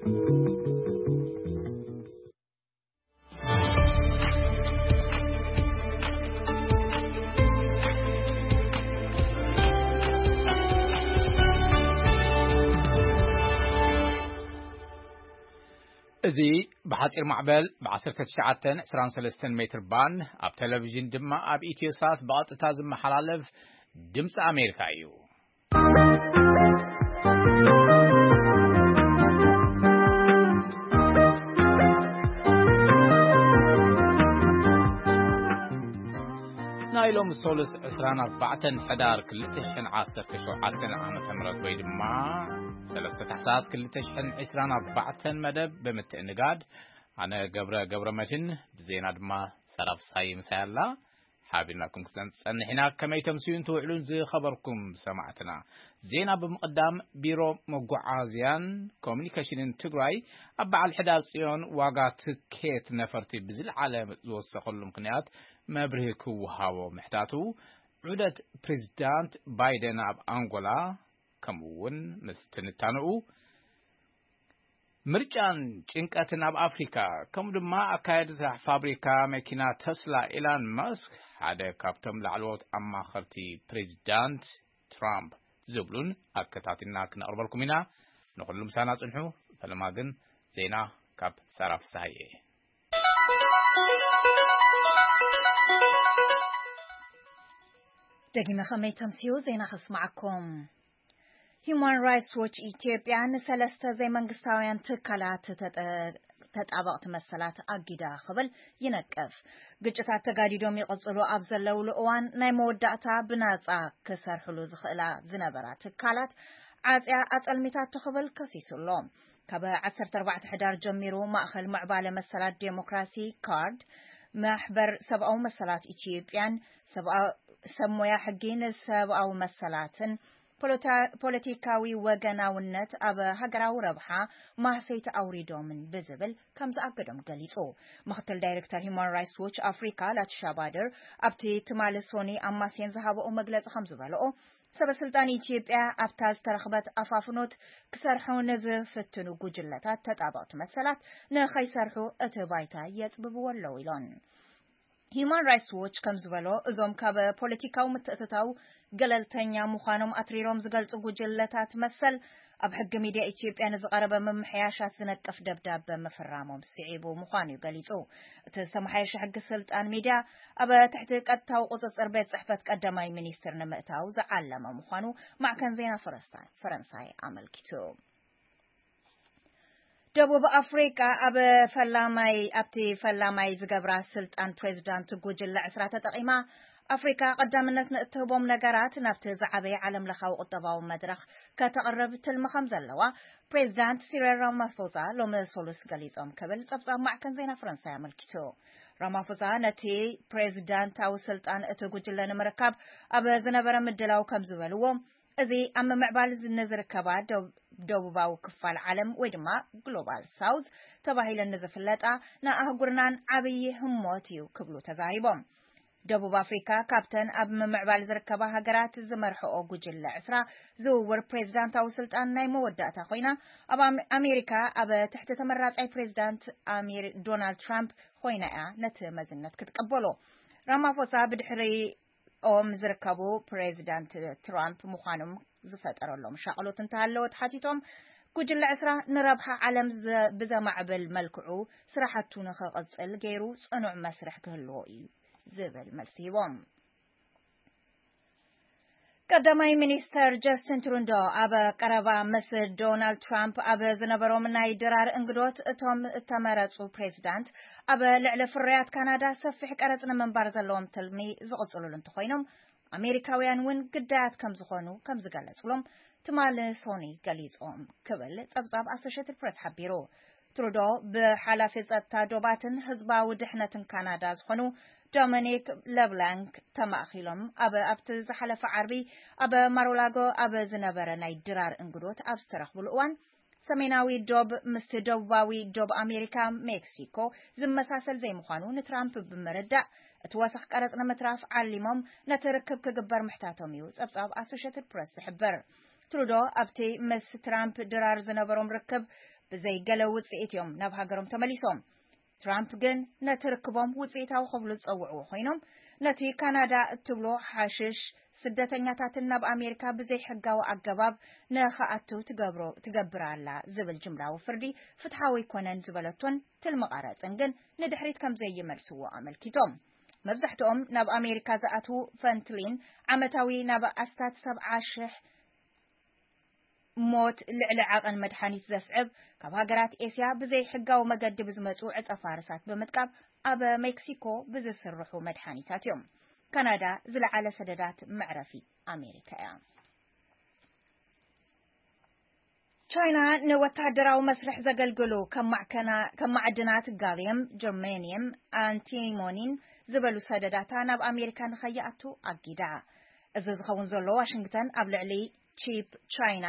እዚ ብሓጺር ማዕበል ብ19 23 ሜትር ባንድ፣ ኣብ ቴሌቪዥን ድማ ኣብ ኢትዮ ሳት ብቐጥታ ዝመሓላለፍ ድምፂ ኣሜሪካ እዩ። ናይ ሎሚ ሶሉስ 24 ሕዳር 2017 ዓመተ ምህረት ወይ ድማ 3 ታሕሳስ 2024 መደብ ብምትእንጋድ፣ ኣነ ገብረ ገብረ መድህን፣ ብዜና ድማ ሰራፍ ሳይ ምሳይ ኣላ። ሓቢርናኩም ክፀንፀንሕ ኢና። ከመይ ተምስዩን ትውዕሉን ዝኸበርኩም ሰማዕትና? ዜና ብምቕዳም፣ ቢሮ መጓዓዝያን ኮሚኒኬሽንን ትግራይ ኣብ በዓል ሕዳር ጽዮን ዋጋ ትኬት ነፈርቲ ብዝለዓለ ዝወሰኸሉ ምኽንያት መብርሂ ክወሃቦ ምሕታቱ፣ ዑደት ፕሬዚዳንት ባይደን ኣብ ኣንጎላ፣ ከምኡ እውን ምስ ትንታንኡ፣ ምርጫን ጭንቀትን ኣብ ኣፍሪካ፣ ከምኡ ድማ ኣካየድታ ፋብሪካ መኪና ተስላ ኢላን መስክ ሓደ ካብቶም ላዕለዎት ኣማኸርቲ ፕሬዚዳንት ትራምፕ ዝብሉን ኣከታቲልና ክነቕርበልኩም ኢና። ንኹሉ ምሳና ጽንሑ። ፈለማ ግን ዜና ካብ ሳራ ፍሳሃየ። ደጊመ ከመይ ተምስዩ ዜና ከስማዓኩም። ሂዩማን ራይትስ ዎች ኢትዮጵያ ንሰለስተ ዘይመንግስታውያን ትካላት ተጠ-፣ ተጣበቕቲ መሰላት ኣጊዳ ክብል ይነቅፍ። ግጭታት ተጋዲዶም ይቕጽሉ ኣብ ዘለውሉ እዋን ናይ መወዳእታ ብናጻ ክሰርሕሉ ዝኽእላ ዝነበራ ትካላት ዓጽያ ኣጸልሚታቶ ክብል ከሲሱ ኣሎ። ካብ 14 ሕዳር ጀሚሩ ማእኸል ምዕባለ መሰላት ዴሞክራሲ ካርድ፣ ማሕበር ሰብኣዊ መሰላት ኢትዮጵያን ሰብኣ-፣ ሰብ ሞያ ሕጊ ንሰብኣዊ መሰላትን ፖለታ-፣ ፖለቲካዊ ወገናውነት ኣብ ሃገራዊ ረብሓ ማህሰይቲ ኣውሪዶምን ብዝብል ከም ዝኣገዶም ገሊጹ። ምክትል ዳይሬክተር ሂዩማን ራይትስ ዎች ኣፍሪካ ላቲሻ ባደር ኣብቲ ትማሊ ሶኒ ኣብ ማስየን ዝሃበኦ መግለጺ ከም ዝበለኦ፣ ሰበ ስልጣን ኢትዮጵያ ኣብታ ዝተረኽበት ኣፋፍኖት ክሰርሑ ንዝፍትኑ ጉጅለታት ተጣበቕቲ መሰላት ንኸይሰርሑ እቲ ባይታ የጽብብዎ ኣለዉ ኢሎን። ሂዩማን ራይትስ ዎች ከም ዝበሎ፣ እዞም ካብ ፖለቲካዊ ምትእትታው ገለልተኛ ምዃኖም ኣትሪሮም ዝገልጹ ጉጅለታት መሰል፣ ኣብ ሕጊ ሚድያ ኢትዮጵያ ንዝቐረበ ምምሕያሻት ዝነቅፍ ደብዳበ ምፍራሞም ስዒቡ ምዃኑ እዩ ገሊጹ። እቲ ዝተመሓየሸ ሕጊ ስልጣን ሚድያ ኣብ ትሕቲ ቀጥታዊ ቁጽጽር ቤት ጽሕፈት ቀዳማይ ሚኒስትር ንምእታው ዝዓለመ ምዃኑ ማዕከን ዜና ፈረስታ-፣ ፈረንሳይ ኣመልኪቱ። ደቡብ ኣፍሪቃ ኣብ ፈላማይ፣ ኣብቲ ፈላማይ ዝገብራ ስልጣን ፕሬዚዳንት ጉጅለ 10 ተጠቒማ፣ ኣፍሪካ ቀዳምነት ንእትህቦም ነገራት ናብቲ ዝዓበየ ዓለም ለኻዊ ቁጠባዊ መድረኽ ከተቕርብ ትልሚ ከም ዘለዋ ፕሬዚዳንት ሲሪል ራማፎዛ ሎሚ ሶሉስ ገሊጾም ክብል ጸብጻብ ማዕከን ዜና ፈረንሳይ ኣመልኪቱ። ራማፎዛ ነቲ ፕሬዚዳንታዊ ስልጣን እቲ ጉጅለ ንምርካብ ኣብ ዝነበረ ምድላው ከም ዝበልዎ፣ እዚ ኣብ ምምዕባል ንዝርከባ ደብ-፣ ደቡባዊ ክፋል ዓለም ወይ ድማ ግሎባል ሳውዝ ተባሂለን ንዝፍለጣ ንኣህጉርናን ዓብዪ ህሞት እዩ ክብሉ ተዛሪቦም። ደቡብ ኣፍሪካ ካብተን ኣብ ምምዕባል ዝርከባ ሃገራት ዝመርሕኦ ጉጅለ 10 ዝውውር ፕሬዚዳንታዊ ስልጣን ናይ መወዳእታ ኮይና፣ ኣብ ኣም-፣ ኣሜሪካ ኣብ ትሕቲ ተመራጻይ ፕሬዚዳንት ኣሜሪ-፣ ዶናልድ ትራምፕ ኮይና እያ ነቲ መዝነት ክትቀበሎ። ራማፎሳ ብድሕሪኦም ዝርከቡ ፕሬዚዳንት ትራምፕ ምዃኖም ዝፈጠረሎም ሻቕሎት እንተሃለወ ተሓቲቶም፣ ጉጅለ 10 ንረብሓ ዓለም ዘ-፣ ብዘማዕብል መልክዑ ስራሕቱ ንኽቕጽል ገይሩ ጽኑዕ መስርሕ ክህልዎ እዩ ዝብል መልሲ ሂቦም። ቀዳማይ ሚኒስተር ጀስቲን ትሩንዶ ኣብ ቀረባ ምስ ዶናልድ ትራምፕ ኣብ ዝነበሮም ናይ ድራር እንግዶት፣ እቶም እተመረጹ ፕሬዚዳንት ኣብ ልዕሊ ፍርያት ካናዳ ሰፊሕ ቀረጽ ንምንባር ዘለዎም ትልሚ ዝቕጽሉሉ እንተኾይኖም፣ ኣሜሪካውያን እውን ግዳያት ከም ዝኾኑ ከም ዝገለጹሎም ትማሊ ሶኒ ገሊጾም ክብል ጸብጻብ ኣሶሼትድ ፕሬስ ሓቢሩ። ትሩዶ ብሓላፊ ጸጥታ ዶባትን ህዝባዊ ድሕነትን ካናዳ ዝኾኑ ዶሚኒክ ለብላንክ ተማእኪሎም ኣብ፣ ኣብቲ ዝሓለፈ ዓርቢ ኣብ ማሩላጎ ኣብ ዝነበረ ናይ ድራር እንግዶት ኣብ ዝተረኽቡሉ እዋን፣ ሰሜናዊ ዶብ ምስቲ ደቡባዊ ዶብ ኣሜሪካ፣ ሜክሲኮ፣ ዝመሳሰል ዘይምዃኑ ንትራምፕ ብምርዳእ፣ እቲ ወሰኽ ቀረጽ ንምትራፍ ዓሊሞም ነቲ ርክብ ክግበር ምሕታቶም እዩ ጸብጻብ ኣሶሼትድ ፕረስ ዝሕብር። ትሩዶ ኣብቲ ምስ ትራምፕ ድራር ዝነበሮም ርክብ ብዘይ ገለ ውጽኢት እዮም ናብ ሃገሮም ተመሊሶም። ትራምፕ ግን ነቲ ርክቦም ውጽኢታዊ ክብሉ ዝጸውዕዎ ኮይኖም፣ ነቲ ካናዳ እትብሎ ሓሽሽ ስደተኛታትን ናብ ኣሜሪካ ብዘይ ሕጋዊ ኣገባብ ንኽኣትው ትገብሮ-፣ ትገብር ኣላ ዝብል ጅምላዊ ፍርዲ ፍትሓዊ ኣይኮነን ዝበለቶን ትልሚ ቀረጽን ግን ንድሕሪት ከም ዘይመልስዎ ኣመልኪቶም። መብዛሕትኦም ናብ ኣሜሪካ ዝኣትዉ ፈንትሊን ዓመታዊ ናብ ኣስታት ሰብዓ ሽሕ ሞት ልዕሊ ዓቐን መድሓኒት ዘስዕብ ካብ ሃገራት ኤስያ ብዘይ ሕጋዊ መገዲ ብዝመጹ ዕጸ ፋርሳት ብምጥቃም ኣብ ሜክሲኮ ብዝስርሑ መድሓኒታት እዮም። ካናዳ ዝለዓለ ሰደዳት መዕረፊ ኣሜሪካ እያ። ቻይና ንወታደራዊ መስርሕ ዘገልግሉ ከም ማዕከና-፣ ከም ማዕድናት ጋልየም፣ ጀርሜንየም፣ ኣንቲሞኒን ዝበሉ ሰደዳታ ናብ ኣሜሪካ ንኸይኣቱ ኣጊዳ። እዚ ዝኸውን ዘሎ ዋሽንግተን ኣብ ልዕሊ ቺፕ ቻይና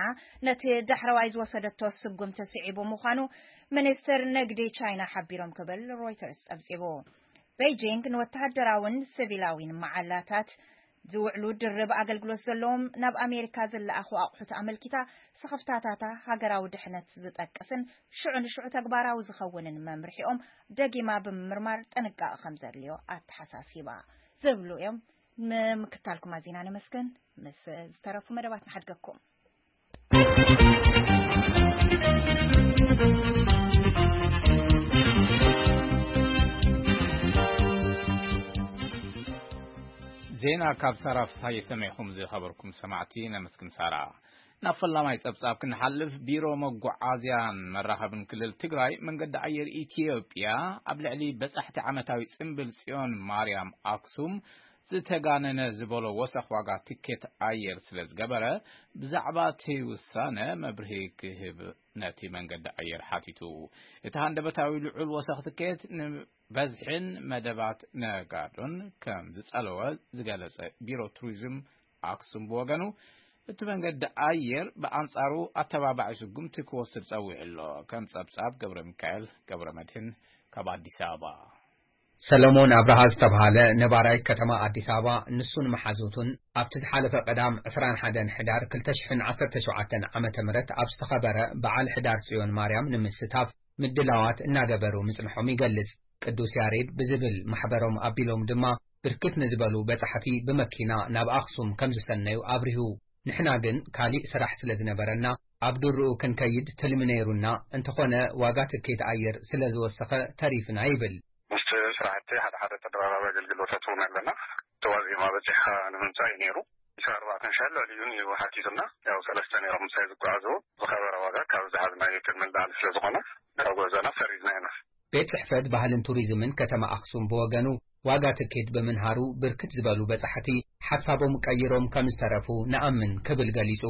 ነቲ ዳሕረዋይ ዝወሰደቶ ስጉምቲ ስዒቡ ምዃኑ ሚኒስትር ንግዲ ቻይና ሓቢሮም ክብል ሮይተርስ ጸብጺቡ። ቤይጂንግ ንወተሃደራውን ሲቪላዊን መዓላታት ዝውዕሉ ድርብ ኣገልግሎት ዘለዎም ናብ ኣሜሪካ ዝለኣኹ ኣቑሑት ኣመልኪታ፣ ስኽፍታታታ ሃገራዊ ድሕነት ዝጠቅስን ሽዑ ንሽዑ ተግባራዊ ዝኸውንን መምርሒኦም ደጊማ ብምምርማር ጥንቃቐ ከም ዘድልዮ ኣተሓሳሲባ። ዝብሉ እዮም። ንምክታልኩም ኣዚና ነመስግን። ምስ ዝተረፉ መደባት ንሓድገኩም። ዜና ካብ ሳራ ፍስሃየ ሰሚዕኹም ዝኸበርኩም ሰማዕቲ ነመስግን ሳራ። ናብ ፈላማይ ጸብጻብ ክንሓልፍ፣ ቢሮ መጓዓዝያን መራኸብን ክልል ትግራይ መንገዲ ኣየር ኢትዮጵያ ኣብ ልዕሊ በጻሕቲ ዓመታዊ ጽምብል ጽዮን ማርያም ኣክሱም ዝተጋነነ ዝበሎ ወሰኽ ዋጋ ትኬት ኣየር ስለ ዝገበረ፣ ብዛዕባ እቲ ውሳነ መብርሂ ክህብ ነቲ መንገዲ ኣየር ሓቲቱ። እቲ ሃንደበታዊ ልዑል ወሰኽ ትኬት ንበዝሕን መደባት ነጋዶን ከም ዝጸለወ ዝገለጸ ቢሮ ቱሪዝም ኣክሱም ብወገኑ፣ እቲ መንገዲ ኣየር ብኣንጻሩ ኣተባባዒ ስጉምቲ ክወስድ ጸዊዑ ኣሎ። ከም ጸብጻብ ገብረ ሚካኤል ገብረ መድህን ካብ ኣዲስ ኣበባ። ሰለሞን ኣብርሃ ዝተብሃለ ነባራይ ከተማ ኣዲስ ኣበባ፣ ንሱን መሓዙቱን ኣብቲ ዝሓለፈ ቀዳም ዕስራን ሓደን ሕዳር ክልተ ሽሕን ዓሰርተ ሸውዓተን ዓመተ ምህረት ኣብ ዝተኸበረ በዓል ሕዳር ጽዮን ማርያም ንምስታፍ ምድላዋት እናገበሩ ምጽንሖም ይገልጽ። ቅዱስ ያሬድ ብዝብል ማሕበሮም ኣቢሎም ድማ ብርክት ንዝበሉ በጻሕቲ ብመኪና ናብ ኣኽሱም ከም ዝሰነዩ ኣብሪሁ። ንሕና ግን ካሊእ ስራሕ ስለ ዝነበረና ኣብ ድርኡ ክንከይድ ትልሚ ነይሩና፣ እንተኾነ ዋጋ ትኬት ኣየር ስለ ዝወሰኸ ተሪፍና ይብል። ምስቲ ስራሕቲ ሓደ ሓደ ተደራራቢ ኣገልግሎታት እውን ኣለና። እቲ ዋዜማ በጺሕካ ንምምጻእ እዩ ነይሩ። ዕስራን ኣርባዕተን ሺሕ ልዕሊኡን እዩ ሓቲቱና። ያው ሰለስተ ነይሮም ምሳይ ዝጓዓዙ። ዝኸበረ ዋጋ ካብ ዝሓዝናዮ ክንምልዓል ስለ ዝኾነ፣ ካብ ጉዕዞና ሰሪዝና ኢና። ቤት ጽሕፈት ባህልን ቱሪዝምን ከተማ ኣኽሱም ብወገኑ፣ ዋጋ ትኬት ብምንሃሩ ብርክት ዝበሉ በጻሕቲ ሓሳቦም ቀይሮም ከም ዝተረፉ ንኣምን ክብል ገሊጹ።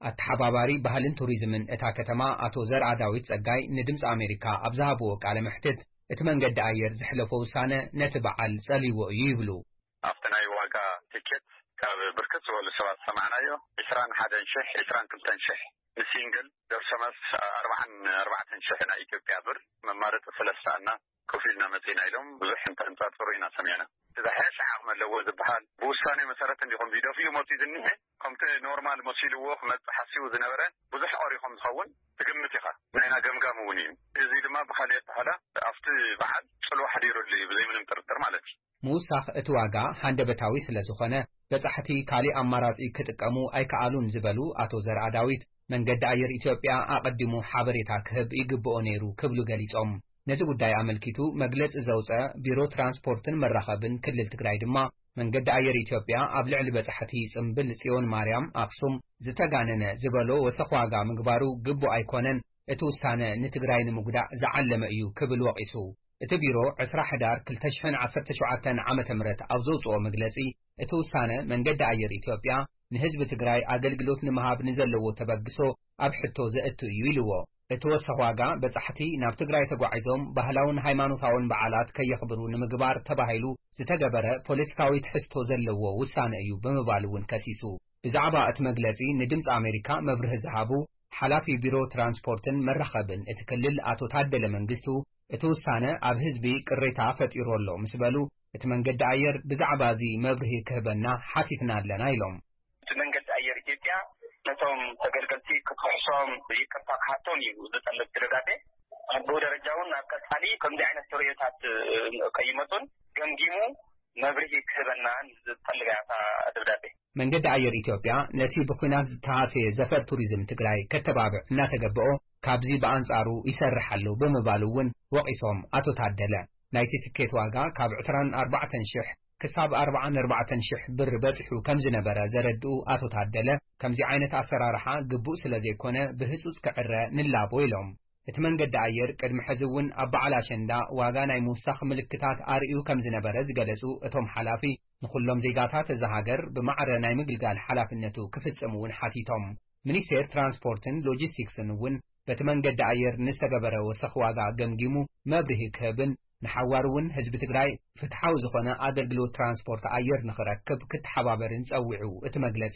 ኣተሓባባሪ ባህልን ቱሪዝምን እታ ከተማ ኣቶ ዘርኣ ዳዊት ጸጋይ ንድምጺ ኣሜሪካ ኣብ ዝሃብዎ ቃለ መሕትት፣ እቲ መንገዲ ኣየር ዘሕለፎ ውሳነ ነቲ በዓል ጸልይዎ እዩ ይብሉ። ኣብቲ ናይ ዋጋ ትኬት ካብ ብርክት ዝበሉ ሰባት ዝሰማዕናዮ፣ ዕስራን ሓደን ሽሕ፣ ዕስራን ክልተን ሽሕ ንሲንግል፣ ደርሶ መልስ ኣርባዓን ኣርባዕተን ሽሕ ናይ ኢትዮጵያ ብር፣ መማረፂ ስለ ዝሰኣና ኮፍ ኢልና መፂና ኢሎም ብዙሕ እንተንፃፅሩ ኢና ሰሚዕና። እቲ ዝሓሸ ዓቕሚ ኣለዎ ዝበሃል ብውሳኔ መሰረት እንዲኹም ዝደፍኡ መፂኡ ዝኒሀ፣ ከምቲ ኖርማል መሲልዎ ክመፅእ ሓሲቡ ዝነበረ ብዙሕ ቀሪኹም ዝኸውን ትግምት ኢኻ። ናይና ገምጋም እውን እዩ። እዚ ድማ ብኻልእ ኣበሃህላ ኣብቲ በዓል ፅልዋ ሓዲሩሉ እዩ፣ ብዘይ ምንም ጥርጥር ማለት እዩ። ምውሳኽ እቲ ዋጋ ሃንደበታዊ ስለ ዝኾነ፣ በጻሕቲ ካሊእ ኣማራጺ ክጥቀሙ ኣይከኣሉን ዝበሉ ኣቶ ዘርኣ ዳዊት፣ መንገዲ ኣየር ኢትዮጵያ ኣቐዲሙ ሓበሬታ ክህብ ይግብኦ ነይሩ ክብሉ ገሊጾም። ነዚ ጉዳይ ኣመልኪቱ መግለጺ ዘውጸ ቢሮ ትራንስፖርትን መራኸብን ክልል ትግራይ ድማ፣ መንገዲ ኣየር ኢትዮጵያ ኣብ ልዕሊ በጻሕቲ ጽምብል ጽዮን ማርያም ኣኽሱም ዝተጋነነ ዝበሎ ወሰኽ ዋጋ ምግባሩ ግቡእ ኣይኮነን፣ እቲ ውሳነ ንትግራይ ንምጉዳእ ዝዓለመ እዩ ክብል ወቒሱ። እቲ ቢሮ ዕስራ ሕዳር ክልተ ሽሕን ዓሰርተ ሸውዓተን ዓመተ ምህረት ኣብ ዘውጽኦ መግለጺ፣ እቲ ውሳነ መንገዲ ኣየር ኢትዮጵያ ንህዝቢ ትግራይ ኣገልግሎት ንምሃብ ንዘለዎ ተበግሶ ኣብ ሕቶ ዘእቱ እዩ ኢልዎ። እቲ ወሰኽ ዋጋ በጻሕቲ ናብ ትግራይ ተጓዒዞም ባህላውን ሃይማኖታውን በዓላት ከየኽብሩ ንምግባር ተባሂሉ ዝተገበረ ፖለቲካዊ ትሕዝቶ ዘለዎ ውሳነ እዩ ብምባል እውን ከሲሱ። ብዛዕባ እቲ መግለጺ ንድምጺ ኣሜሪካ መብርሂ ዝሃቡ ሓላፊ ቢሮ ትራንስፖርትን መራኸብን እቲ ክልል ኣቶ ታደለ መንግስቱ፣ እቲ ውሳነ ኣብ ህዝቢ ቅሬታ ፈጢሩ ኣሎ ምስ በሉ፣ እቲ መንገዲ ኣየር ብዛዕባ እዚ መብርሂ ክህበና ሓቲትና ኣለና ኢሎም። እቲ መንገዲ ኣየር ኢትዮጵያ ነቶም ተገልገልቲ ክትክሕሱ እቶም ይቅርታ ክሓቶም እዩ ዝጠልብ እቲ ደብዳቤ። ኣብ ደረጃ እውን ኣብ ቀጻሊ ከምዚ ዓይነት ተርእዮታት ከይመጹን ገምጊሙ መብርሂ ክህበና ዝጠልብ እያ እታ ደብዳቤ። መንገዲ ኣየር ኢትዮጵያ ነቲ ብኲናት ዝተሃሰየ ዘፈር ቱሪዝም ትግራይ ከተባብዕ እናተገበኦ ካብዚ ብኣንጻሩ ይሰርሕ ኣሎ ብምባሉ እውን ወቒሶም ኣቶ ታደለ። ናይቲ ትኬት ዋጋ ካብ ዕስራን ኣርባዕተን ሽሕ ክሳብ ኣርባዓን ኣርባዕተን ሽሕ ብር በጺሑ ከም ዝነበረ ዘረድኡ ኣቶ ታደለ፣ ከምዚ ዓይነት ኣሰራርሓ ግቡእ ስለ ዘይኮነ ብህጹጽ ክዕረ ንላቦ ኢሎም። እቲ መንገዲ ኣየር ቅድሚ ሕዚ እውን ኣብ በዓል ኣሸንዳ ዋጋ ናይ ምውሳኽ ምልክታት ኣርእዩ ከም ዝነበረ ዝገለጹ እቶም ሓላፊ፣ ንኹሎም ዜጋታት እዛ ሃገር ብማዕረ ናይ ምግልጋል ሓላፍነቱ ክፍጽም እውን ሓቲቶም። ሚኒስቴር ትራንስፖርትን ሎጂስቲክስን እውን በቲ መንገዲ ኣየር ንዝተገበረ ወሰኽ ዋጋ ገምጊሙ መብርሂ ክህብን ንሓዋሩ እውን ህዝቢ ትግራይ ፍትሓዊ ዝኾነ ኣገልግሎት ትራንስፖርት ኣየር ንኽረክብ ክተሓባበርን ጸዊዑ እቲ መግለጺ።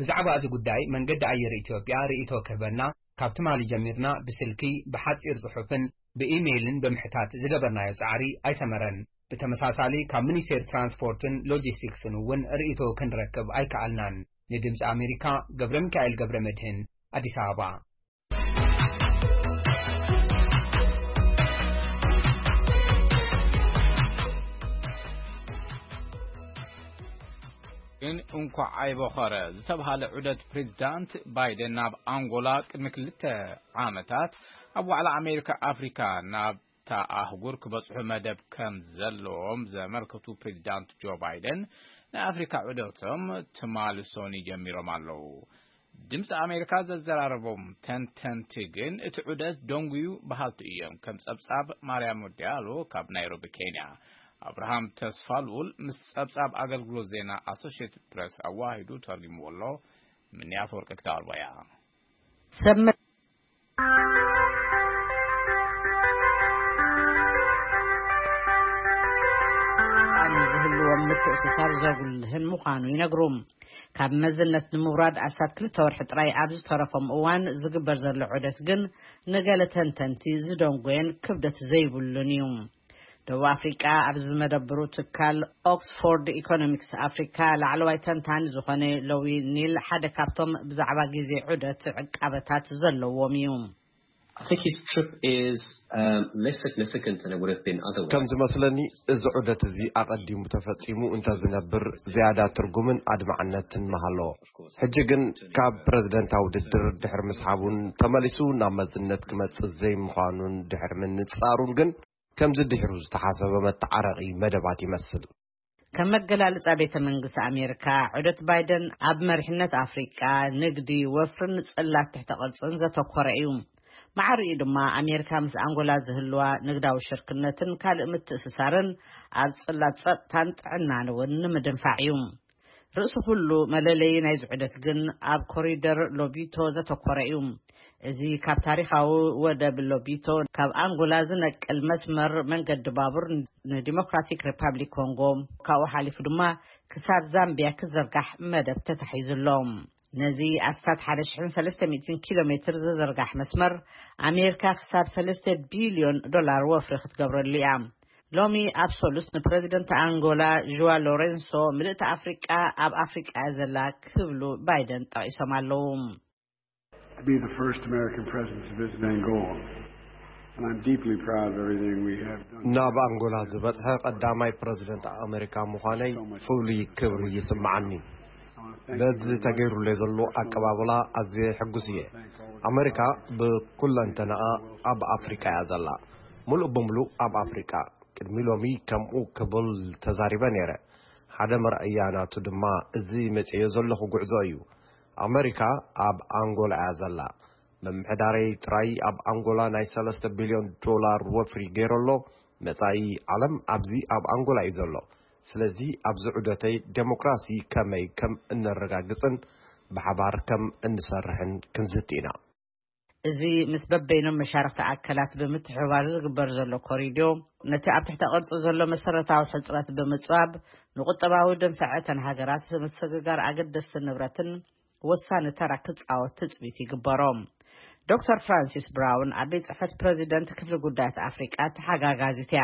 ብዛዕባ እዚ ጉዳይ መንገዲ ኣየር ኢትዮጵያ ርእይቶ ክህበና ካብ ትማሊ ጀሚርና ብስልኪ፣ ብሓጺር ጽሑፍን ብኢሜይልን ብምሕታት ዝገበርናዮ ጻዕሪ ኣይሰመረን። ብተመሳሳሊ ካብ ሚኒስቴር ትራንስፖርትን ሎጂስቲክስን እውን ርእይቶ ክንረክብ ኣይከኣልናን። ንድምፂ ኣሜሪካ ገብረ ሚካኤል ገብረ መድህን ኣዲስ ኣበባ። ግን እንኳዕ ኣይበኸረ ዝተብሃለ ዑደት ፕሬዚዳንት ባይደን ናብ ኣንጎላ ቅድሚ ክልተ ዓመታት ኣብ ዋዕላ ኣሜሪካ ኣፍሪካ ናብታ ኣህጉር ክበፅሑ መደብ ከም ዘለዎም ዘመልከቱ ፕሬዚዳንት ጆ ባይደን፣ ናይ ኣፍሪካ ዑደቶም ትማሊ ሶኒ ጀሚሮም ኣለዉ። ድምፂ ኣሜሪካ ዘዘራረቦም ተንተንቲ ግን እቲ ዑደት ደንጉዩ በሃልቲ እዮም። ከም ፀብፃብ ማርያም ወዲያሎ ካብ ናይሮቢ ኬንያ፣ ኣብርሃም ተስፋ ልኡል ምስ ጸብጻብ ኣገልግሎት ዜና ኣሶሽየትድ ፕረስ ኣዋሂዱ ተርጉምዎ ኣሎ። ምንያት ወርቂ ክተቕርቦ እያ። ሰብ መ- ኣን ዝህልዎም ምትእስሳር ዘጉልህን ምዃኑ ይነግሩ። ካብ መዝነት ንምውራድ ኣስታት ክልተ ወርሒ ጥራይ ኣብ ዝተረፎም እዋን ዝግበር ዘሎ ዑደት ግን ንገለ ተንተንቲ ዝደንጎየን ክብደት ዘይብሉን እዩ። ደቡብ ኣፍሪቃ ኣብ ዝመደብሩ ትካል ኦክስፎርድ ኢኮኖሚክስ ኣፍሪካ ላዕለዋይ ተንታኒ ዝኾነ ሎዊ ኒል ሓደ ካብቶም ብዛዕባ ግዜ ዑደት ዕቃበታት ዘለዎም እዩ። I think his trip is um, less significant than it would have been otherwise. ከም ዝመስለኒ እዚ ዑደት እዚ ኣቐዲሙ ተፈጺሙ እንተዝነብር ዝያዳ ትርጉምን ኣድማዕነትን ምሃለዎ። ሕጂ ግን ካብ ፕረዚደንታዊ ውድድር ድሕሪ ምስሓቡን ተመሊሱ ናብ መዝነት ክመጽእ ዘይምዃኑን ድሕሪ ምንጻሩን ግን ከምዚ ድሒሩ ዝተሓሰበ መተዓረቒ መደባት ይመስል። ከም መገላልጻ ቤተ መንግስቲ ኣሜሪካ፣ ዑደት ባይደን ኣብ መሪሕነት ኣፍሪቃ፣ ንግዲ፣ ወፍርን ጽላት ትሕተ ቅርጽን ዘተኮረ እዩ። ማዕሪኡ ድማ ኣሜሪካ ምስ ኣንጎላ ዝህልዋ ንግዳዊ ሽርክነትን ካልእ ምትእስሳርን ኣብ ጽላት ጸጥታን ጥዕናን እውን ንምድንፋዕ እዩ። ርእሲ ኩሉ መለለዪ ናይዚ ዑደት ግን ኣብ ኮሪደር ሎቢቶ ዘተኮረ እዩ። እዚ ካብ ታሪኻዊ ወደብ ሎቢቶ ካብ ኣንጎላ ዝነቅል መስመር መንገዲ ባቡር ንዲሞክራቲክ ሪፓብሊክ ኮንጎ ካብኡ ሓሊፉ ድማ ክሳብ ዛምቢያ ክዘርጋሕ መደብ ተታሒዙ ኣሎ። ነዚ ኣስታት ሓደ ሽሕን ሰለስተ ሚእትን ኪሎ ሜትር ዝዝርጋሕ መስመር ኣሜሪካ ክሳብ ሰለስተ ቢልዮን ዶላር ወፍሪ ክትገብረሉ እያ። ሎሚ ኣብ ሶሉስ ንፕረዚደንት ኣንጎላ ዥዋ ሎሬንሶ ምልእቲ ኣፍሪቃ ኣብ ኣፍሪቃ እያ ዘላ ክብሉ ባይደን ጠቒሶም ኣለዉ። To be the first American president to visit Angola, and I'm deeply proud of everything we have done. ናብ ኣንጎላ ዝበጽሐ ቀዳማይ ፕረዚደንት ኣሜሪካ ምዃነይ ፍሉይ ክብሪ ይስምዓኒ። በዚ ተገይሩለይ ዘሎ ኣቀባብላ ኣዝየ ሕጉስ እየ። ኣሜሪካ ብኩለንተናኣ ኣብ ኣፍሪቃ እያ ዘላ፣ ምሉእ ብምሉእ ኣብ ኣፍሪቃ። ቅድሚ ሎሚ ከምኡ ክብል ተዛሪበ ነይረ። ሓደ መርኣያ ናቱ ድማ እዚ መጺኤዮ ዘለኹ ጉዕዞ እዩ። ኣመሪካ ኣብ ኣንጎላ እያ ዘላ። ምምሕዳረይ ጥራይ ኣብ ኣንጎላ ናይ ሰለስተ ቢልዮን ዶላር ወፍሪ ገይሩ ኣሎ። መጻኢ ዓለም ኣብዚ ኣብ ኣንጎላ እዩ ዘሎ። ስለዚ ኣብዚ ዑደተይ ደሞክራሲ ከመይ ከም እነረጋግጽን ብሓባር ከም እንሰርሕን ክንዝቲ ኢና። እዚ ምስ በበይኖም መሻርኽቲ ኣካላት ብምትሕብባር ዝግበር ዘሎ ኮሪድዮ፣ ነቲ ኣብ ትሕተ ቅርጺ ዘሎ መሰረታዊ ሕጽረት ብምጽባብ፣ ንቁጠባዊ ድንፈዐ እተን ሃገራት ምስግጋር ኣገደስቲ ንብረትን ወሳኒ ተራ ክጻወት ትጽቢት ይግበሮ። ዶክተር ፍራንሲስ ብራውን ኣብ ቤት ጽሕፈት ፕረዚደንት ክፍሊ ጉዳያት ኣፍሪቃ ተሓጋጋዚት እያ።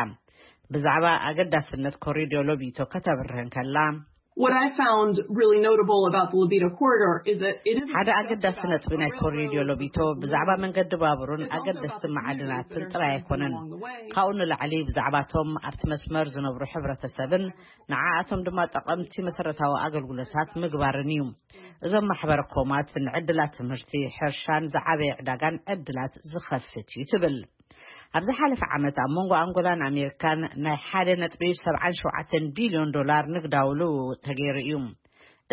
ብዛዕባ ኣገዳስነት ኮሪድዮ ሎቢቶ ከተብርህ እንከላ፣ What I found really notable about the Lobito corridor is that it is ሓደ ኣገዳሲ ነጥቢ ናይ ኮሪዲዮ ሎቢቶ ብዛዕባ መንገዲ ባቡርን ኣገደስቲ ማዕድናትን ጥራይ ኣይኮነን። ካብኡ ንላዕሊ ብዛዕባቶም ኣብቲ መስመር ዝነብሩ ሕብረተሰብን ንዓኣቶም ድማ ጠቐምቲ መሰረታዊ ኣገልግሎታት ምግባርን እዩ። እዞም ማሕበረ ኮማት ንዕድላት ትምህርቲ፣ ሕርሻን ዝዓበየ ዕዳጋን ዕድላት ዝኸፍት እዩ ትብል። ኣብ ዝሓለፈ ዓመት ኣብ መንጎ ኣንጎላን ኣሜሪካን ናይ ሓደ ነጥቢ ሰብዓን ሸውዓተን ቢልዮን ዶላር ንግዳዊ ልውውጥ ተገይሩ እዩ።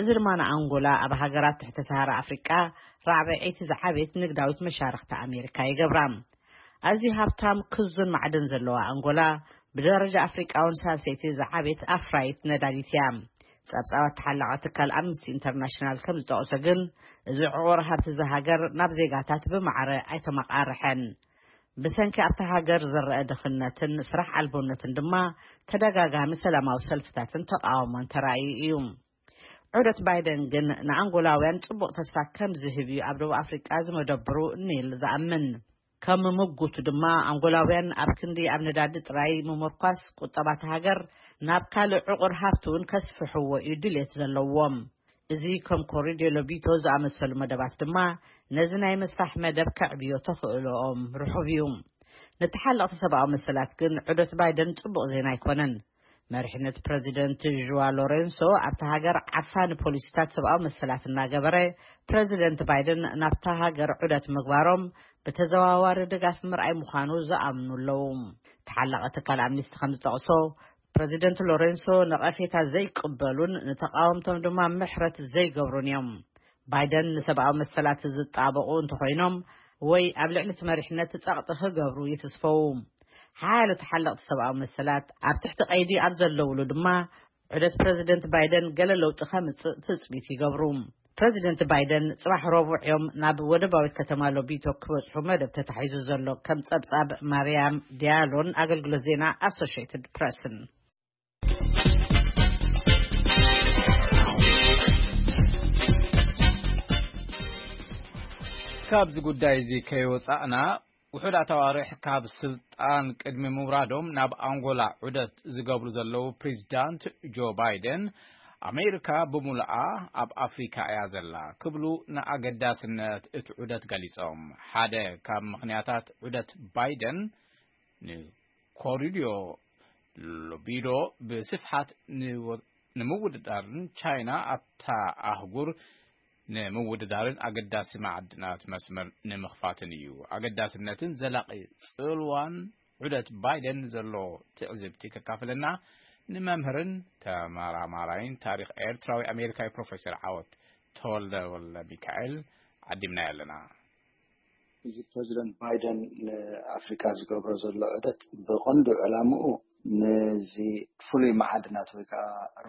እዚ ድማ ንኣንጎላ ኣብ ሃገራት ትሕቲ ሰሃራ ኣፍሪቃ ራብዐይቲ ዝዓበየት ንግዳዊት መሻርክቲ ኣሜሪካ ይገብራ። ኣዝዩ ሃብታም ክዙን ማዕድን ዘለዋ ኣንጎላ ብደረጃ ኣፍሪቃ እውን ሳልሰይቲ ዝዓበየት ኣፍራይት ነዳዲት እያ። ጸብጻባት ተሓላቒ ትካል ኣምነስቲ ኢንተርናሽናል ከም ዝጠቕሶ ግን፣ እዚ ዕቑር ሃብቲ እዛ ሃገር ናብ ዜጋታት ብማዕረ ኣይተመቓርሐን። ብሰንኪ ኣብታ ሃገር ዝረአ ድኽነትን ስራሕ ኣልቦነትን ድማ ተደጋጋሚ ሰላማዊ ሰልፍታትን ተቓውሞን ተራእዩ እዩ። ዑደት ባይደን ግን ንኣንጎላውያን ጽቡቕ ተስፋ ከም ዝህብ እዩ ኣብ ደቡብ ኣፍሪቃ ዝመደብሩ ኒል ዝኣምን። ከም ምጉቱ ድማ ኣንጎላውያን ኣብ ክንዲ ኣብ ነዳዲ ጥራይ ምምርኳስ ቁጠባ እታ ሃገር ናብ ካልእ ዕቑር ሃብቲ እውን ከስፍሕዎ እዩ ድሌት ዘለዎም። እዚ ከም ኮሪዲዮ ሎቢቶ ዝኣመሰሉ መደባት ድማ ነዚ ናይ ምስፋሕ መደብ ከዕብዮ ተኽእሎኦም ርሑብ እዩ። ንተሓለቕቲ ሰብኣዊ መሰላት ግን ዑደት ባይደን ጽቡቕ ዜና ኣይኮነን። መሪሕነት ፕረዚደንት ዥዋ ሎሬንሶ ኣብታ ሃገር ዓፋኒ ፖሊሲታት ሰብኣዊ መሰላት እናገበረ፣ ፕረዚደንት ባይደን ናብታ ሃገር ዑደት ምግባሮም ብተዘዋዋሪ ድጋፍ ምርኣይ ምዃኑ ዝኣምኑ ኣለዉ። ተሓላቒ ትካል ኣምኒስቲ ከም ዝጠቕሶ፣ ፕረዚደንት ሎሬንሶ ነቐፌታ ዘይቅበሉን ንተቓወምቶም ድማ ምሕረት ዘይገብሩን እዮም። ባይደን ንሰብኣዊ መሰላት ዝጣበቑ እንተኾይኖም ወይ ኣብ ልዕሊ እቲ መሪሕነት ጸቕጢ ክገብሩ ይትስፈዉ። ሓያሎ ተሓለቕቲ ሰብኣዊ መሰላት ኣብ ትሕቲ ቀይዲ ኣብ ዘለውሉ ድማ ዑደት ፕረዚደንት ባይደን ገለ ለውጢ ከምጽእ ትጽቢት ይገብሩ። ፕረዚደንት ባይደን ጽባሕ ረቡዕ እዮም ናብ ወደባዊት ከተማ ሎቢቶ ክበጽሑ መደብ ተታሒዙ ዘሎ፣ ከም ጸብጻብ ማርያም ዲያሎን ኣገልግሎት ዜና ኣሶሽየትድ ፕረስን። ካብዚ ጉዳይ እዚ ከይወጻእና፣ ውሑዳት ኣዋርሕ ካብ ስልጣን ቅድሚ ምውራዶም ናብ ኣንጎላ ዑደት ዝገብሩ ዘለዉ ፕሬዚዳንት ጆ ባይደን፣ ኣሜሪካ ብምሉኣ ኣብ ኣፍሪካ እያ ዘላ ክብሉ ንኣገዳስነት እቲ ዑደት ገሊጾም። ሓደ ካብ ምኽንያታት ዑደት ባይደን፣ ንኮሪዲዮ ሎቢዶ ብስፍሓት ንወ-፣ ንምውድዳርን ቻይና ኣብታ ኣህጉር ንምውድዳርን ኣገዳሲ መዓድናት መስመር ንምኽፋትን እዩ። ኣገዳስነትን ዘላቒ ጽልዋን ዑደት ባይደን ዘሎ ትዕዝብቲ ከካፍለና ንመምህርን ተመራማራይን ታሪኽ ኤርትራዊ ኣሜሪካዊ ፕሮፌሰር ዓወት ተወልደ ወልደ ሚካኤል ዓዲምናዮ ኣለና። እዚ ፕረዚደንት ባይደን ንኣፍሪካ ዝገብሮ ዘሎ ዑደት ብቐንዱ ዕላምኡ ነዚ ፍሉይ መዓድናት ወይ ከዓ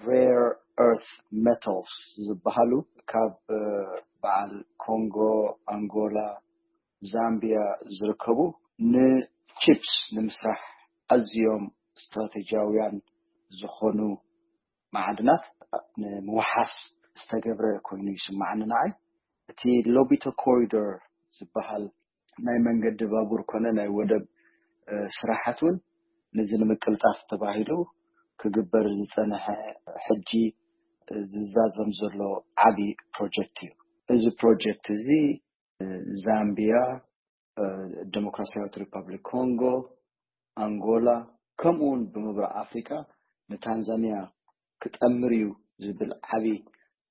rare earth metals ዝበሃሉ ካብ በዓል ኮንጎ፣ ኣንጎላ፣ ዛምቢያ ዝርከቡ ንቺፕስ ንምስራሕ ኣዝዮም ስትራቴጂያውያን ዝኾኑ መዓድናት ንምውሓስ ዝተገብረ ኮይኑ ይስማዓኒ ንዓይ። እቲ ሎቢቶ ኮሪዶር ዝበሃል ናይ መንገዲ ባቡር ኮነ ናይ ወደብ፣ እ፣ ስራሓት እውን ነዚ ንምቅልጣፍ ተባሂሉ ክግበር ዝጸንሐ፣ ሕጂ ዝዛዘም ዘሎ ዓቢ ፕሮጀክት እዩ። እዚ ፕሮጀክት እዚ ዛምቢያ፣ እ፣ ዲሞክራሲያዊት ሪፐብሊክ ኮንጎ፣ ኣንጎላ፣ ከምኡ እውን ብምብራቕ ኣፍሪቃ ንታንዛንያ ክጠምር እዩ ዝብል ዓቢ፣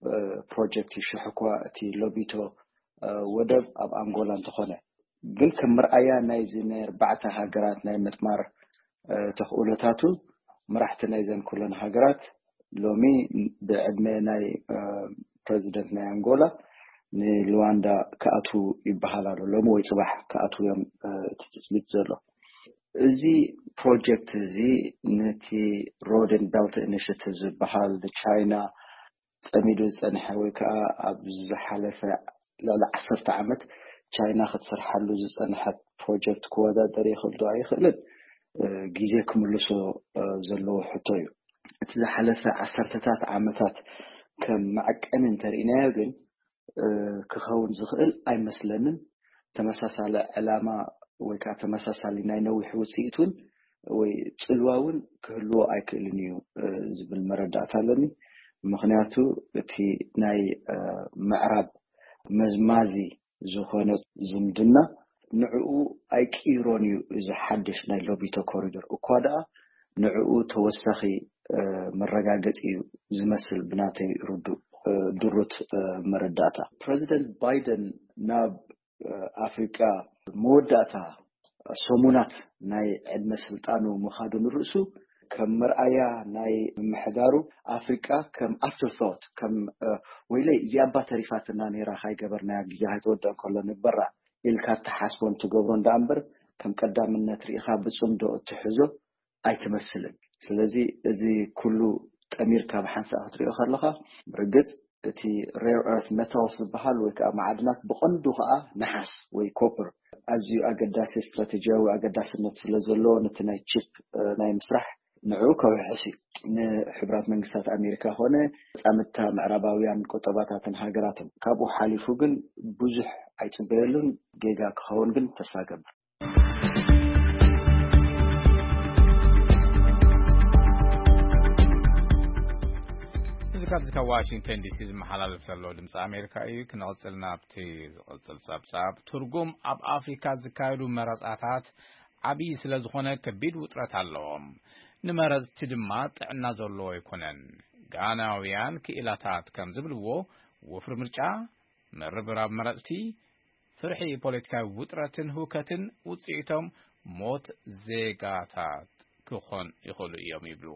እ፣ ፕሮጀክት እዩ። ሽሕ እኳ እቲ ሎቢቶ፣ እ፣ ወደብ ኣብ ኣንጎላ እንተኾነ፣ ግን ከም መርኣያ ናይዚ ናይ ኣርባዕተ ሃገራት ናይ ምጥማር፣ እ፣ ተኽእሎታቱ፣ መራሕቲ ናይዘን ኩለን ሃገራት ሎሚ ብዕድመ ናይ፣ እ፣ ፕረዚደንት ናይ ኣንጎላ ንሉዋንዳ ክኣትዉ ይበሃል ኣሎ። ሎሚ ወይ ጽባሕ ክኣትዉ እዮም፣ እ፣ እቲ ትጽቢት ዘሎ። እዚ ፕሮጀክት እዚ ነቲ ሮድ ኤንድ ቤልት ኢኒሽቲቭ ዝበሃል ንቻይና ጸሚዱ ዝጸንሐ ወይ ከዓ ኣብ ዝሓለፈ ልዕሊ ዓሰርተ ዓመት ቻይና ክትሰርሓሉ ዝጸንሐት ፕሮጀክት ክወዳደር ይኽእል ዶ ኣይኽእልን፣ እ፣ ግዜ ክምልሶ፣ እ፣ ዘለዎ ሕቶ እዩ። እቲ ዝሓለፈ ዓሰርተታት ዓመታት ከም መዐቀኒ እንተርኢናዮ ግን፣ እ፣ ክኸውን ዝኽእል ኣይመስለንን። ተመሳሳሊ ዕላማ ወይ ከዓ ተመሳሳሊ ናይ ነዊሕ ውፅኢት እውን ወይ ፅልዋ እውን ክህልዎ ኣይክእልን እዩ፣ እ፣ ዝብል መረዳእታ ኣለኒ። ምኽንያቱ እቲ ናይ ምዕራብ መዝማዚ ዝኾነ ዝምድና ንዕኡ ኣይቅይሮን እዩ። እዚ ሓድሽ ናይ ሎቢቶ ኮሪደር እኳ ደኣ ንዕኡ ተወሳኺ መረጋገፂ እዩ ዝመስል፣ ብናተይ ርዱእ ድሩት መረዳእታ። ፕረዚደንት ባይደን ናብ ኣፍሪቃ መወዳእታ ሰሙናት ናይ ዕድመ ስልጣኑ ምኻዱ ንርእሱ ከም መርኣያ ናይ ምምሕዳሩ ኣፍሪቃ ከም ኣፍተርቶት፣ ከም ወይለይ እዚኣ እባ ተሪፋትና ነይራ፣ ካይገበርናያ፣ ግዜ ካይተወደአ ከሎ ንግበራ ኢልካ እትሓስቦን ትገብሮን ደኣ እምበር ከም ቀዳምነት ርኢኻ ብጽምዶ እትሕዞ ኣይትመስልን። ስለዚ እዚ ኩሉ ጠሚርካ ብሓንሳእ ክትሪኦ ከለኻ ብርግጽ እቲ rare earth metals ዝበሃል ወይ ከዓ መዓድናት ብቐንዱ ከዓ ነሓስ ወይ ኮፐር ኣዝዩ ኣገዳሲ ስትራቴጂያዊ ኣገዳስነት ስለ ዘለዎ ነቲ ናይ ቺፕ ናይ ምስራሕ ንዕኡ ከውሕስ እዩ። ንሕቡራት መንግስታት ኣሜሪካ ኮነ ፃምድታ ምዕራባውያን ቁጠባታትን ሃገራትን። ካብኡ ሓሊፉ ግን ብዙሕ ኣይፅበየሉን። ጌጋ ክኸውን ግን ተስፋ ገብር። እዚ ካብዚ ካብ ዋሽንግተን ዲሲ ዝመሓላለፍ ዘሎ ድምፂ ኣሜሪካ እዩ። ክንቕፅል ናብቲ ዝቕፅል ፀብፃብ። ትርጉም ኣብ ኣፍሪካ ዝካየዱ መረፃታት ዓብዪ ስለ ዝኾነ ከቢድ ውጥረት ኣለዎም። ንመረፅቲ ድማ ጥዕና ዘለዎ ኣይኮነን። ጋናውያን ክኢላታት ከም ዝብልዎ፣ ወፍሪ ምርጫ፣ ምርብራብ መረፅቲ፣ ፍርሒ ፖለቲካዊ ውጥረትን ህውከትን ውፅኢቶም ሞት ዜጋታት ክኾን ይኽእሉ እዮም ይብሉ።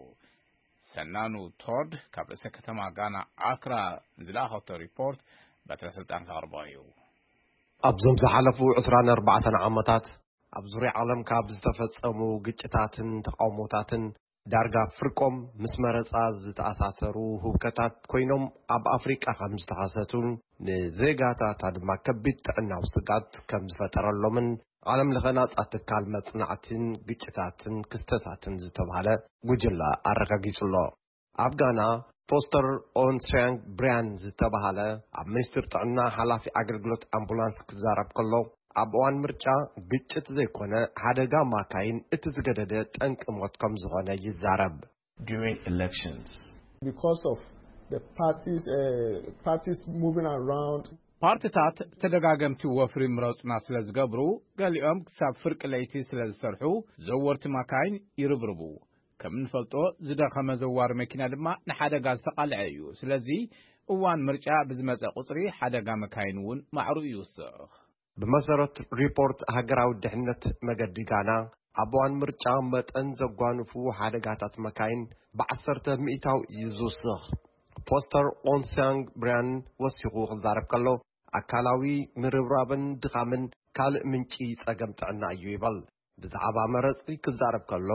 ሰናኑ ቶድ ካብ ርእሰ ከተማ ጋና ኣክራ ዝለኣኸቶ ሪፖርት በትረ ስልጣን ከቕርቦ እዩ። ኣብዞም ዝሓለፉ ዕስራን ኣርባዕተን ዓመታት ኣብ ዙርያ ዓለም ካብ ዝተፈጸሙ ግጭታትን ተቓውሞታትን ዳርጋ ፍርቆም ምስ መረጻ ዝተኣሳሰሩ ህውከታት ኮይኖም ኣብ ኣፍሪቃ ከም ዝተኸሰቱን ንዜጋታታ ድማ ከቢድ ጥዕናዊ ስጋት ከም ዝፈጠረሎምን ዓለም ለኸ ናጻ ትካል መጽናዕትን ግጭታትን ክስተታትን ዝተባህለ ጉጅለ ኣረጋጊጹ ኣሎ። ኣብ ጋና ፎስተር ኦንሲያንግ ብሪያን ዝተባህለ ኣብ ሚኒስትር ጥዕና ሓላፊ ኣገልግሎት ኣምቡላንስ ክዛረብ ከሎ ኣብ እዋን ምርጫ ግጭት ዘይኮነ ሓደጋ ማካይን እቲ ዝገደደ ጠንቂ ሞት ከም ዝኾነ ይዛረብ። During elections. Because of the parties, uh, parties moving around. ፓርትታት ተደጋገምቲ ወፍሪ ምረጹና ስለ ዝገብሩ፣ ገሊኦም ክሳብ ፍርቂ ለይቲ ስለ ዝሰርሑ፣ ዘወርቲ ማካይን ይርብርቡ። ከም እንፈልጦ፣ ዝደኸመ ዘዋሪ መኪና ድማ ንሓደጋ ዝተቓልዐ እዩ። ስለዚ፣ እዋን ምርጫ ብዝመጸ ቁጽሪ፣ ሓደጋ መካይን እውን ማዕሩ ይውስኽ። ብመሰረት ሪፖርት ሃገራዊ ድሕነት መገዲ ጋና፣ ኣብ እዋን ምርጫ መጠን ዘጓንፉ ሓደጋታት መካይን ብዓሰርተ ሚእታዊ እዩ ዝውስኽ። ፖስተር ኦንሲያንግ ብሪያን ወሲኹ ክዛረብ ከሎ፣ ኣካላዊ ምርብራብን ድኻምን ካልእ ምንጪ ጸገም ጥዕና እዩ ይበል። ብዛዕባ መረጽቲ ክዛረብ ከሎ፣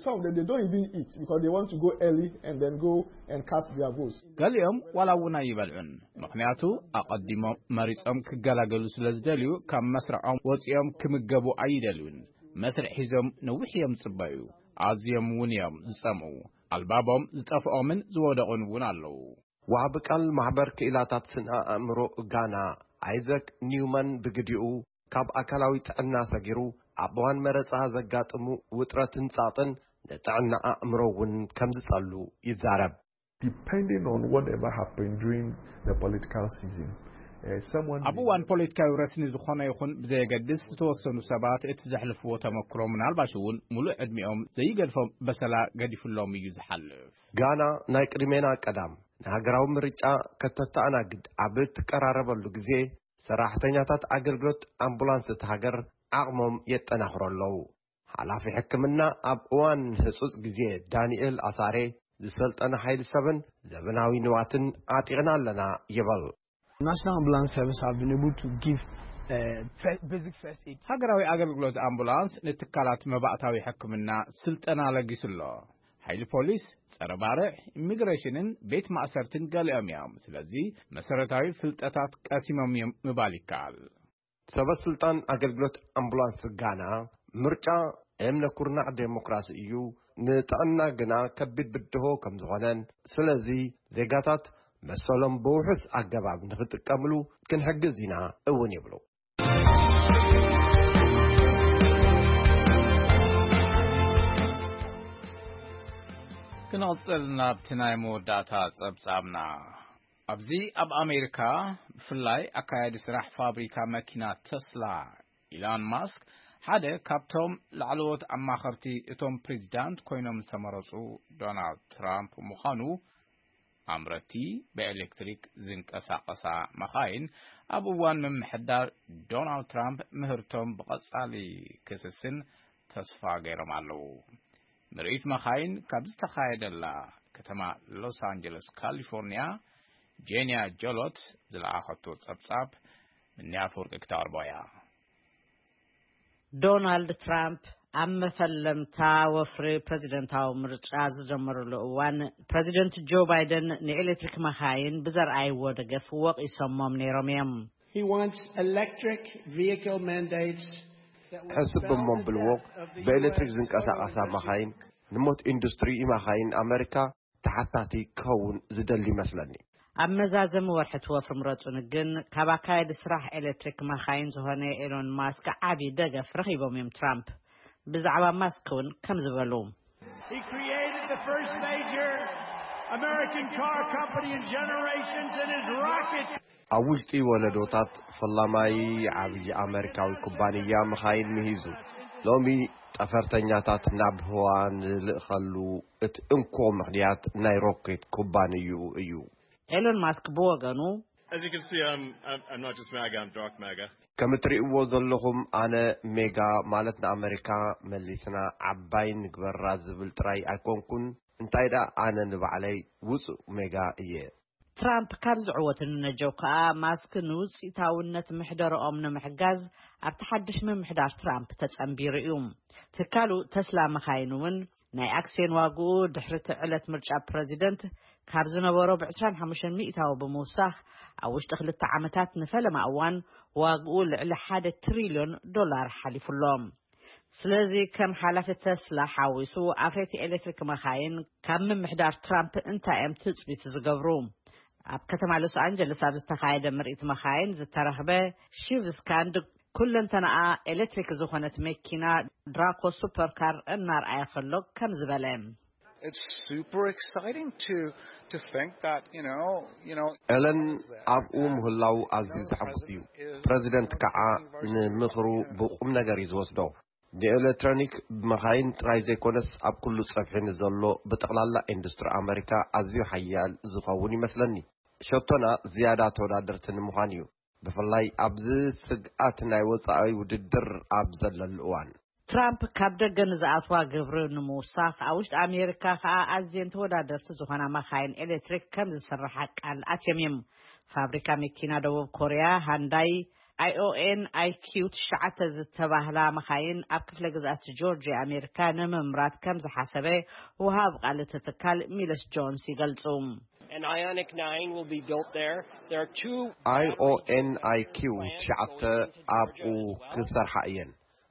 Some of them, they don't even eat because they want to go early and then go and cast their votes. ገሊኦም ዋላ እውን ኣይበልዑን፣ ምኽንያቱ ኣቐዲሞም መሪጾም ክገላገሉ ስለ ዝደልዩ፣ ካብ መስርዖም ወጺኦም ክምገቡ ኣይደልዩን። መስርዕ ሒዞም ነዊሕ እዮም ዝጽበዩ። ኣዝዮም እውን እዮም ዝጸምኡ። ኣልባቦም ዝጠፍኦምን ዝወደቑን እውን ኣለዉ። ወሃቢ ቃል ማሕበር ክኢላታት ስነ ኣእምሮ ጋና ኣይዘክ ኒውማን ብግዲኡ፣ ካብ ኣካላዊ ጥዕና ሰጊሩ ኣብ እዋን መረጻ ዘጋጥሙ ውጥረትን ጸቕጥን ንጥዕና ኣእምሮ እውን ከም ዝጸሉ ይዛረብ። Depending on whatever happened during the political season, uh, someone ኣብ እዋን ፖለቲካዊ ረስኒ ዝኾነ ይኹን ብዘየገድስ፣ ዝተወሰኑ ሰባት እቲ ዘሕልፍዎ ተመክሮ ምናልባሽ እውን ሙሉእ ዕድሚኦም ዘይገድፎም በሰላ ገዲፉሎም እዩ ዝሓልፍ። ጋና ናይ ቅድሜና ቀዳም ንሃገራዊ ምርጫ ከተተኣናግድ ኣብ እትቀራረበሉ ግዜ፣ ሰራሕተኛታት ኣገልግሎት ኣምቡላንስ እታ ሃገር ዓቕሞም የጠናኽሩ ኣለዉ። ሓላፊ ሕክምና ኣብ እዋን ህጹጽ ግዜ ዳንኤል ኣሳሬ፣ ዝሰልጠነ ሓይሊ ሰብን ዘበናዊ ንዋትን ዓጢቕና ኣለና ይብል። National Ambulance Service have been able to give uh, fe- basic first aid. ሃገራዊ ኣገልግሎት ኣምቡላንስ ንትካላት መባእታዊ ሕክምና ስልጠና ለጊሱ ኣሎ። ሓይሊ ፖሊስ፣ ጸረ ባርዕ፣ ኢሚግሬሽንን ቤት ማእሰርትን ገሊኦም እዮም። ስለዚ መሰረታዊ ፍልጠታት ቀሲሞም እዮም ምባል ይከኣል። ሰበ ስልጣን ኣገልግሎት ኣምቡላንስ ጋና፣ ምርጫ እምነ ኩርናዕ ዴሞክራሲ እዩ፣ ንጥዕና ግና ከቢድ ብድሆ ከም ዝኾነን፣ ስለዚ ዜጋታት መሰሎም ብውሑስ ኣገባብ ንኽጥቀምሉ ክንሕግዝ ኢና እውን ይብሉ። ንቕጽል ናብቲ ናይ መወዳእታ ጸብጻብና። ኣብዚ ኣብ ኣሜሪካ ብፍላይ ኣካያዲ ስራሕ ፋብሪካ መኪና ተስላ ኢላን ማስክ ሓደ ካብቶም ላዕለዎት ኣማኸርቲ እቶም ፕሬዚዳንት ኮይኖም ዝተመረጹ ዶናልድ ትራምፕ ምዃኑ ኣምረቲ ብኤሌክትሪክ ዝንቀሳቐሳ መኻይን ኣብ እዋን ምምሕዳር ዶናልድ ትራምፕ ምህርቶም ብቐጻሊ ክስስን ተስፋ ገይሮም ኣለዉ። ምርኢት መኻይን ካብ ዝተኻየደላ ከተማ ሎስ ኣንጀለስ ካሊፎርኒያ ጄንያ ጆሎት ዝለኣኸቶ ጸብጻብ ምንያ ኣፈወርቂ ክተቕርቦ እያ። ዶናልድ ትራምፕ ኣብ መፈለምታ ወፍሪ ፕሬዚደንታዊ ምርጫ ዝጀመሩሉ እዋን ፕሬዚደንት ጆ ባይደን ንኤሌክትሪክ መኻይን ብዘርኣይዎ ደገፍ ወቒሶሞም ነይሮም እዮም። He wants electric vehicle mandates that will ሕስብ እሞ ብልዎ ብኤሌክትሪክ ዝንቀሳቐሳ መኻይን ንሞት ኢንዱስትሪ መኻይን ኣመሪካ ተሓታቲ ክኸውን ዝደሊ ይመስለኒ። ኣብ መዛዘሚ ወርሒ እቲ ወፍሪ ምረጹኒ ግን ካብ ኣካያዲ ስራሕ ኤሌክትሪክ መኻይን ዝኾነ ኤሎን ማስክ ዓቢ ደገፍ ረኺቦም እዮም ትራምፕ። ብዛዕባ ማስክ እውን ከም ዝበሉ He created the first major American car company in generations in his rocket. ኣብ ውሽጢ ወለዶታት ፈላማይ ዓብዪ ኣመሪካዊ ኩባንያ መኻይን ምሂዙ ሎሚ ጠፈርተኛታት ናብ ህዋ ንልእኸሉ እቲ እንኮ ምኽንያት ናይ ሮኬት ኩባንይኡ እዩ። ኤሎን ማስክ ብወገኑ As you can see, I'm, I'm, I'm not just MAGA, I'm dark MAGA. ከም እትርእይዎ ዘለኹም ኣነ ሜጋ ማለት ንኣመሪካ መሊስና ዓባይ ንግበራ ዝብል ጥራይ ኣይኮንኩን እንታይ ደኣ ኣነ ንባዕለይ ውጹእ ሜጋ እየ። ትራምፕ ካብ ዝዕወቱ ንነጀው ከኣ ማስክ ንውጽኢታውነት ምሕደረኦም ንምሕጋዝ ኣብቲ ሓድሽ ምምሕዳር ትራምፕ ተጸንቢሩ እዩ። ትካሉ ተስላ መኻይን እውን ናይ ኣክስዮን ዋግኡ ድሕሪ እቲ ዕለት ምርጫ ፕረዚደንት ካብ ዝነበሮ ብ25 ሚእታዊ ብምውሳኽ ኣብ ውሽጢ ክልተ ዓመታት ንፈለማ እዋን ዋግኡ ልዕሊ ሓደ ትሪልዮን ዶላር ሓሊፉ ኣሎ። ስለዚ ከም ሓላፊ ተስላ ሓዊሱ ኣፍረይቲ ኤሌክትሪክ መኻይን ካብ ምምሕዳር ትራምፕ እንታይ እዮም ትጽቢት ዝገብሩ? ኣብ ከተማ ሎስ ኣንጀለስ ኣብ ዝተኻየደ ምርኢት መኻይን ዝተረኽበ ሺቭስካንድ ኩለንተናኣ ኤሌክትሪክ ዝኾነት መኪና ድራኮ ሱፐርካር እናርኣየ ከሎ ከም ዝበለ It's super exciting to to think that you know you know ኤለን ኣብኡ ምህላው ኣዝዩ ዘሐጉስ እዩ። ፕረዚደንት ከዓ ንምኽሩ ብቁም ነገር እዩ ዝወስዶ። ንኤሌክትሮኒክ መኻይን ጥራይ ዘይኮነስ ኣብ ኩሉ ጸፍሒ ንዘሎ ብጠቕላላ ኢንዱስትሪ ኣመሪካ ኣዝዩ ሓያል ዝኸውን ይመስለኒ። ሸቶና ዝያዳ ተወዳደርቲ ንምዃን እዩ። ብፍላይ ኣብዚ ስግኣት ናይ ወጻኢ ውድድር ኣብ ዘለሉ እዋን። ትራምፕ ካብ ደገ ንዝኣትዋ ግብሪ ንምውሳኽ ኣብ ውሽጢ ኣሜሪካ ከኣ ኣዝየን ተወዳደርቲ ዝኾና መኻይን ኤሌክትሪክ ከም ዝስርሓ ቃል ኣትዮም እዮም። ፋብሪካ መኪና ደቡብ ኮርያ ሃንዳይ ኣይኦኤን ኣይኪው ትሽዓተ ዝተባህላ መኻይን ኣብ ክፍለ ግዝኣት ጆርጅያ ኣሜሪካ ንምምራት ከም ዝሓሰበ ውሃብ ቃል እቲ ትካል ሚለስ ጆንስ ይገልጹ። An Ionic nine will be built there. There are two ኣይኦኤን ኣይኪው ትሽዓተ ኣብኡ ክሰርሓ እየን።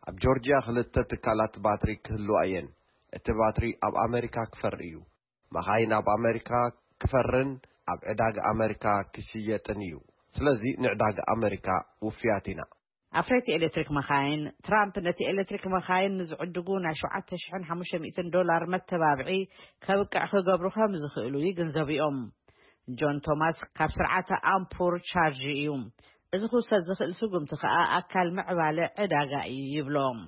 ኣብ ጆርጅያ ክልተ ትካላት ባትሪ ክህልዋ እየን። እቲ ባትሪ ኣብ ኣሜሪካ ክፈሪ እዩ። መኻይን ኣብ ኣሜሪካ ክፈርን ኣብ ዕዳጋ ኣሜሪካ ክሽየጥን እዩ። ስለዚ ንዕዳጋ ኣሜሪካ ውፍያት ኢና። ኣፍረይቲ ኤሌክትሪክ መኻይን ትራምፕ ነቲ ኤሌክትሪክ መኻይን ንዝዕድጉ ናይ ሸውዓተ ሽሕን ሓሙሽተ ሚእትን ዶላር መተባብዒ ከብቅዕ ክገብሩ ከም ዝኽእሉ ይግንዘቡ እዮም። ጆን ቶማስ ካብ ስርዓተ ኣምፑር ቻርጅ እዩ። እዚ ክውሰድ ዝኽእል ስጉምቲ ከኣ ኣካል ምዕባለ ዕዳጋ እዩ ይብሎም።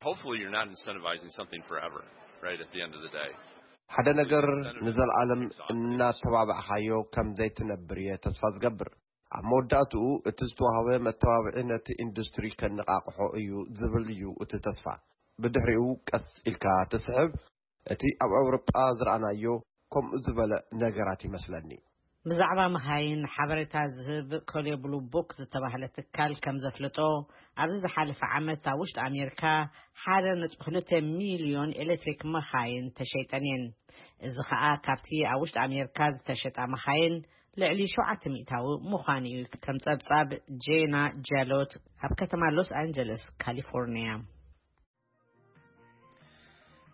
Hopefully, you're not incentivizing something forever, right? At the end of the day. ሓደ ነገር ንዘለኣለም እናተባባዕኻዮ ከም ዘይትነብር እየ ተስፋ ዝገብር። ኣብ መወዳእትኡ እቲ ዝተዋህበ መተባብዒ ነቲ ኢንዱስትሪ ከነቓቕሖ እዩ ዝብል እዩ እቲ ተስፋ። ብድሕሪኡ ቀስ ኢልካ ትስሕብ። እቲ ኣብ ኣውሮጳ ዝረኣናዮ ከምኡ ዝበለ ነገራት ይመስለኒ። ብዛዕባ መኻይን ሓበሬታ ዝህብ ኮሌ ብሉ ቡክ ዝተባህለ ትካል ከም ዘፍለጦ ኣብዚ ዝሓለፈ ዓመት ኣብ ውሽጢ ኣሜሪካ ሓደ ነጥቢ ክልተ ሚልዮን ኤሌክትሪክ መኻይን ተሸይጠን እየን። እዚ ከኣ ካብቲ ኣብ ውሽጢ ኣሜሪካ ዝተሸጣ መኻይን ልዕሊ ሸውዓተ ሚእታዊ ምዃኑ እዩ። ከም ጸብጻብ ጄና ጃሎት ካብ ከተማ ሎስ ኣንጀለስ ካሊፎርኒያ።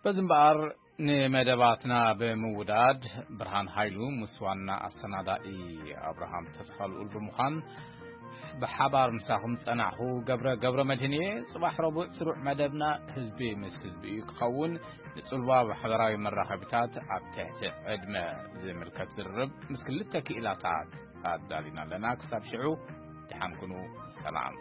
በዚ እምበኣር ንመደባትና ብምውዳድ ብርሃን ሃይሉ ምስ ዋና ኣሰናዳኢ ኣብርሃም ተስፋልኡል ብምዃን ብሓባር ምሳኹም ጸናሕኹ ገብረ፣ ገብረ መድህን እየ። ጽባሕ ረቡዕ ስሩዕ መደብና ህዝቢ ምስ ህዝቢ እዩ ክኸውን። ንጽልዋ ማሕበራዊ መራኸቢታት ኣብ ትሕቲ ዕድመ ዝምልከት ዝርርብ ምስ ክልተ ክኢላታት ኣዳሊና ኣለና። ክሳብ ሽዑ ደሓን ኩኑ። ሰላም።